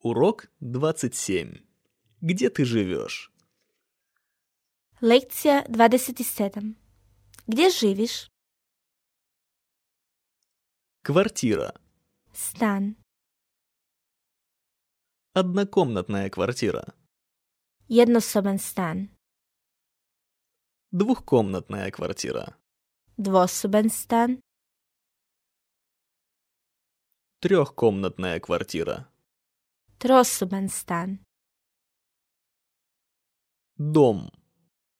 Урок 27. Где ты живешь? Lekcija 27. Gdje živiš? Квартира. Stan. Однокомнатная квартира. Jednosoban stan. Двухкомнатная квартира. Dvosoban stan. Трехкомнатная квартира. Trosoban stan. Дом.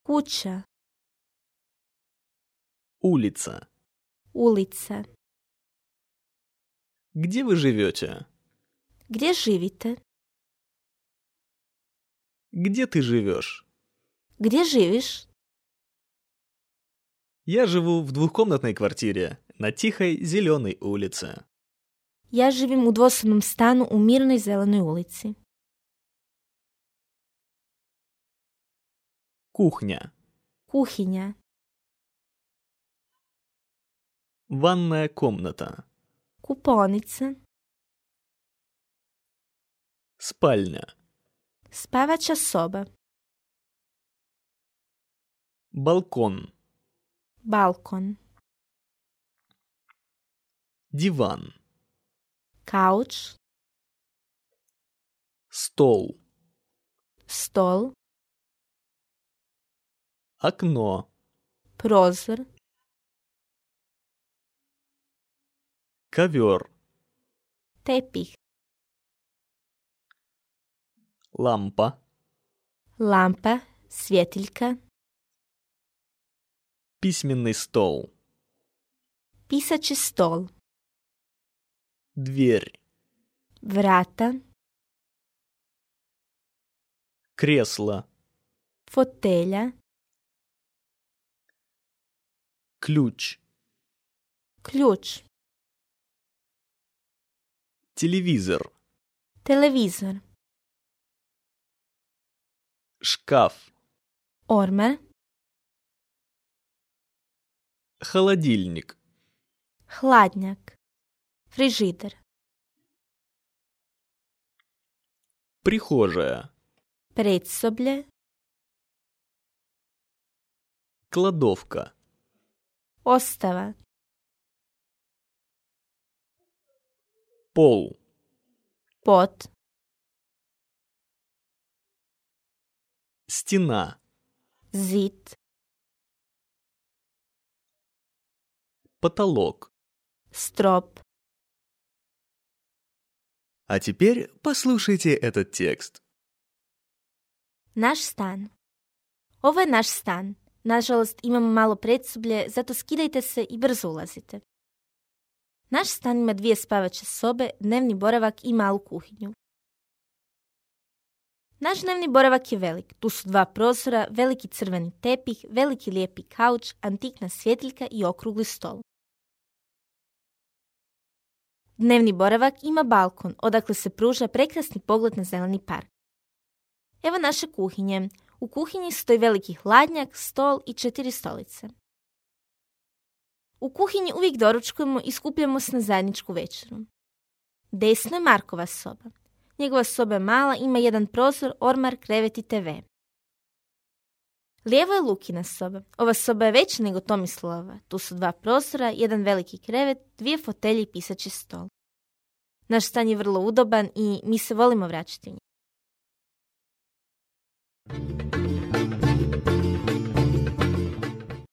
Kuća. Улица. Ulica. Где вы живете? Gdje živite? Где ты живешь? Gdje živiš? Я живу в двухкомнатной квартире на тихой зеленой улице. Ja živim u dvosobnom stanu u mirnoj zelenoj ulici. Кухня. Kuhinja. Ванная комната. Kupaonica. Спальня. Spavača soba. Балкон. Balkon. Диван. Kauč. Стол. Stol. Окно. Prozor. Ковер. Tepih. Лампа. Lampa. Svjetiljka. Письменный стол. Pisaći stol. Дверь. Vrata. Кресло. Fotelja. Ключ. Ključ. Телевизор. Televizor. Шкаф. Ormar. Холодильник. Hladnjak. Frižider. Прихожая. Predsoblje. Кладовка. Ostava. Пол. Pod. Стена. Zid. Потолок. Strop. А теперь послушайте этот текст. Naš stan. Ovo je naš stan. Nažalost, imamo malo predsoblje, zato skidajte se i brzo ulazite. Naš stan ima 2 spavaće sobe, dnevni boravak i malu kuhinju. Naš dnevni boravak je velik. Tu su 2 prozora, veliki crveni tepih, veliki lijepi kauč, antikna svjetiljka i okrugli stol. Dnevni boravak ima balkon, odakle se pruža prekrasni pogled na zeleni park. Evo naše kuhinje. U kuhinji stoji veliki hladnjak, stol i 4 stolice. U kuhinji uvijek doručkujemo i skupljamo se na zajedničku večeru. Desno je Markova soba. Njegova soba je mala, ima 1 prozor, ormar, krevet i TV. Lijevo je Lukina soba. Ova soba je veća nego Tomislavova. Tu su 2 prozora, 1 veliki krevet, 2 fotelje i pisaći stol. Naš stan je vrlo udoban i mi se volimo vraćati u njega.